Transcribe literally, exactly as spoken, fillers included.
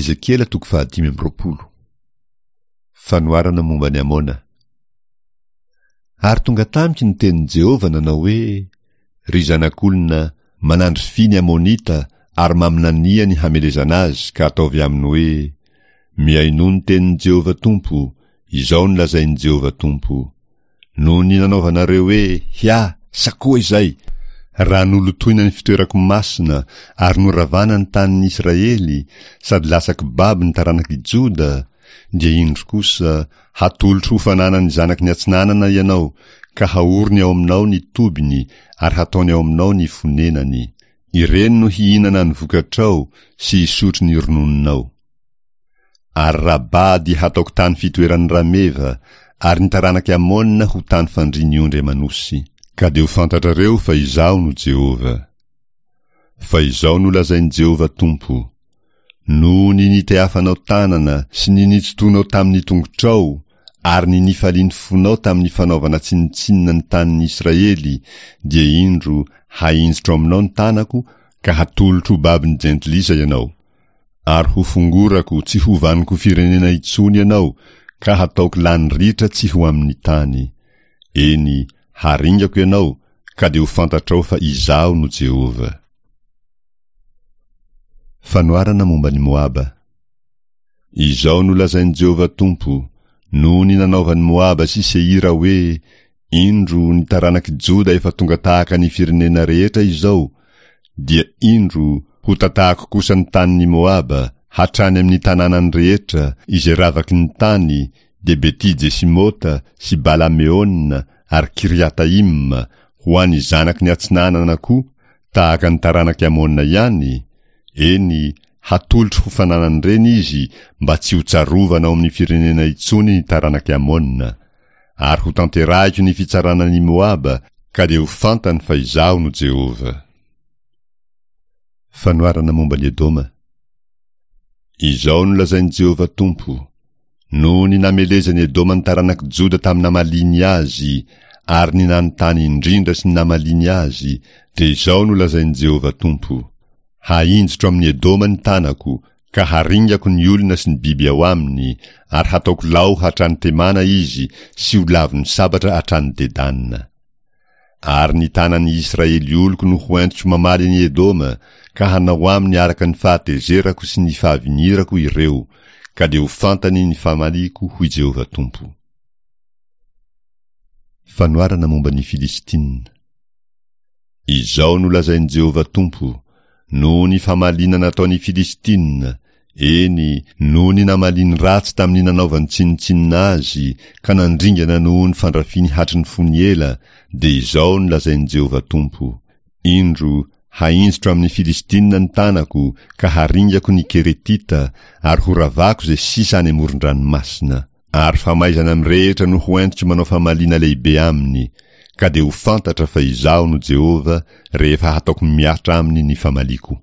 Ezekiela toko fahadimy amby roapolo. Fanoharana momba an'i Amona. Ary tonga tamiko ny tenin'i Jehovah nanao hoe, Ry zanak'olona, manandrifia ny Amonita ary maminania ny hamelezana azy ka ataovy aminy hoe, Mihainoa ny tenin'i Jehovah Tompo, izao no lazain'i Jehovah Tompo, Noho ny nanaovanareo hoe, Hia, sakoa izay! Raha nolotoina ny fitoerako masina ary noravana ny tanin'ny Israely sady lasa kibabo ny taranak'i Joda, dia indro kosa, hatolotro ho fananan'ny zanaky ny atsinanana ianao, ka haoriny ao aminao ny tobiny ary hataony ao aminao ny fonenany. Ireny no hihinana ny vokatrao sy hisotro ny ronononao. Ary Rabà dia hataoko tany fitoeran'ny rameva, ary ny taranak'i Amôna ho tany fandrian'ny ondry aman'osy. Ka dia ho fantatrareo fa Izaho no Jehovah. Fa izao no lazain'i Jehovah Tompo, Noho ny nitehafanao tanana sy ny nitsotoanao tamin'ny tongotrao ary ny nifalian'ny fonao tamin'ny fanaovana tsinontsinona ny tanin'ny Israely, dia indro, hahinjitro aminao ny tanako ka hatolotro ho babon'ny jentilisa ianao. Ary ho fongorako tsy ho vanonko firenena intsony ianao ka hataoko lany ritra tsy ho amin'ny tany. Eny, haringako ianao ka dia ho fantatrao fa Izaho no Jehovah. Fanoharana momba an'i Moaba. Izao no lazain'i Jehovah Tompo, Noho ny nanaovan'i Moaba sy Seira hoe, Indro, ny taranak'i Joda efa tonga tahaka ny firenena rehetra izao, dia indro, hotatahako kosa ny tanin'i Moaba, hatrany amin'ny tanànany rehetra, izay ravaky ny tany, dia Beti-jesimota sy Bala-meona ary Kiriataima, ho an'ny zanaky ny atsinanana koa, tahaka ny taranak'i Amona ihany, eny, hatolotro ho fananan'ireny izy mba tsy hotsarovana ao amin'ny firenena intsony ny taranak'i Amona. Ary hotanterahiko ny fitsarana an'i Moaba, ka dia ho fantany fa Izaho no Jehovah. Fanoharana momba an'i Edoma. Izao no lazain'i Jehovah Tompo, Noho ny namelezan'i Edoma ny taranak'i Joda tamin'ny namaliany azy, ary ny nanontany indrindra sy ny namaliany azy, dia izao no lazain'i Jehovah Tompo, Hahinjitro amin'i Edoma ny tanako, ka haringako ny olona sy ny biby ao aminy, ary hataoko lao hatrany Temana izy sy ho lavon'ny sabatra hatrany Dedana. Ary ny tanan'ny Israely oloko no hoentiko mamaly an'i Edoma, ka hanao aminy araka ny fahatezerako sy ny fahavinirako ireo, ka dia ho fantany ny famaliako, hoy Jehovah Tompo. Fanoharana momba ny Filistina. Izao no lazain'i Jehovah Tompo, Noho ny famaliana nataon'ny Filistina, eny, noho ny namaliany ratsy tamin'ny nanaovany tsinontsinona azy, ka nandringana noho ny fandrafiany hatry ny fony ela, dia izao no lazain'i Jehovah Tompo, Indro, hahinjitro amin'ny Filistina ny tanako, ka haringako ny Keretita, ary horavako izay sisa any amoron-dranomasina. Ary famaizana mirehitra no hoentiko manao famaliana lehibe aminy, ka dia ho fantatra fa Izaho no Jehovah rehefa hataoko mihatra aminy ny famaliako.